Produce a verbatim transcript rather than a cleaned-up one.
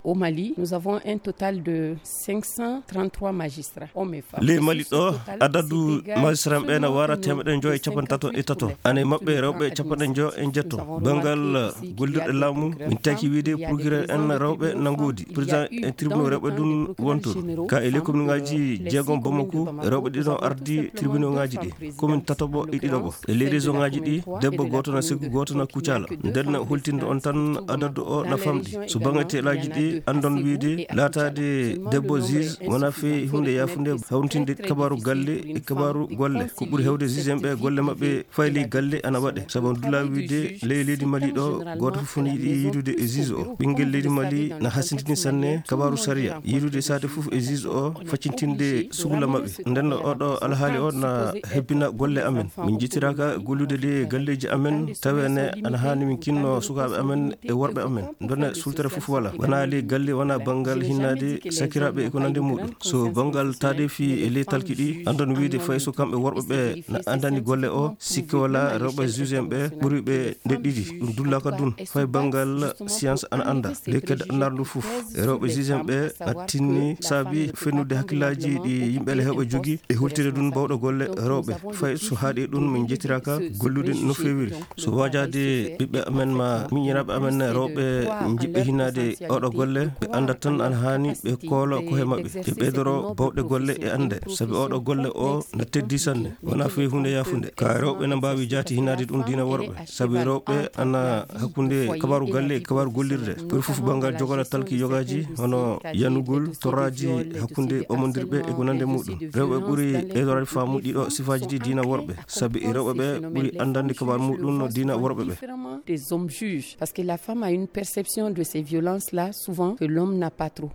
Au Mali, nous avons un total de cinq cent trente-trois magistrats, hommes et femmes. Ley Mali ɗo, adadu magistrat ɓe na wara temeɗe njoyo e capanɗe tato e tato. Ana e maɓɓe rewɓe capanɗe njoyo e jeeto. Banngal gollirɗe laamu, min taki wiide procureur en rewɓe na ngoodi. Président e tribunal rewɓe ɗum wontoon. Ka e ley commune ngaji jeegom Bamako, rewɓe ɗiɗo ardi tribunal ngaji ɗi. Commune tataɓo e ɗiɗaɓo. E ley région ngaji ɗi, debbo gooto na Ségou, gooto na Koutiala. Nden holtinde on tan adadu o na famɗi. So bannge teelaaji ɗi, anndon wiide laataade debbo juge wona fee huunde yaafunde, hawrintinde kabaaru galle e kabaaru golle. Ko ɓuri heewde juge en ɓe golle maɓɓe fay ley galle ana waɗe. Sabu on dulla wiide ley leydi Mali ɗo, gooto fof ne yiɗi yiidude e juge o. Ɓinngel leydi Mali na hasindini sanne kabaaru sariya. Yiidude saate fof e juge o, faccintinde sugla maɓɓe. Nden oɗo alhaali o na hebbina golle amen. Min njittiraaka gollude ley galleeji amen, taweene ana haani min kinno sukaaɓe amen e worɓe amen. Ndone sultere fof wala. Wona ley galle, wona banngal hinnaade sakiraaɓe e ko nandi muɗum. So banngal taadeefi e ley talki ɗi, anndon wiide fay so kamɓe worɓe ɓe na anndani golle o, sikke wala rewɓe juge en ɓe ɓuri ɓe nde ɗiɗi. Ɗum dullaaka dun. Fay banngal science ana annda. Ley kedde annaar ndu fof. E rewɓe juge en ɓe na tinni saabi fennude hakkillaaji ɗi yimɓe le heewɓe jogii e hultinde ɗum bawɗo golle rewɓe. Fay so haaɗi ɗum, min njettiraaka gollude no feewiri. So waajaade ɓiɓɓe amen ma miñiraaɓe amen rewɓe njiɗɓe hinnaade oɗo golle, ɓe anndat tan ana haani ɓe koolo ko he maɓɓe. Ɓe ɓeydoro bawɗe golle e annde, sabi oɗo golle o na teddi sanne. Wona fii huunde yaafunde. Ka rewɓe na mbaawi jaati hinnaade ɗum diina worɓe. Sabi rewɓe ana hakkunde kabaaru galle e kabaaru gollirde. Ɓuri fof banngal jogola talki yogaaji, hono yanugol toraaji hakkunde ɓamondirɓe e ko nande muɗum. Rewɓe ɓuri ɓeydoraade faamu ɗiɗo sifaaji ɗi diina worɓe. Sabi rewɓe ɓe ɓuri anndande kabaaru muɗum no diina worɓe ɓe. Des hommes juges. Parce que la femme a une perception de ces violences-là, souvent, que l'homme n'a pas trop.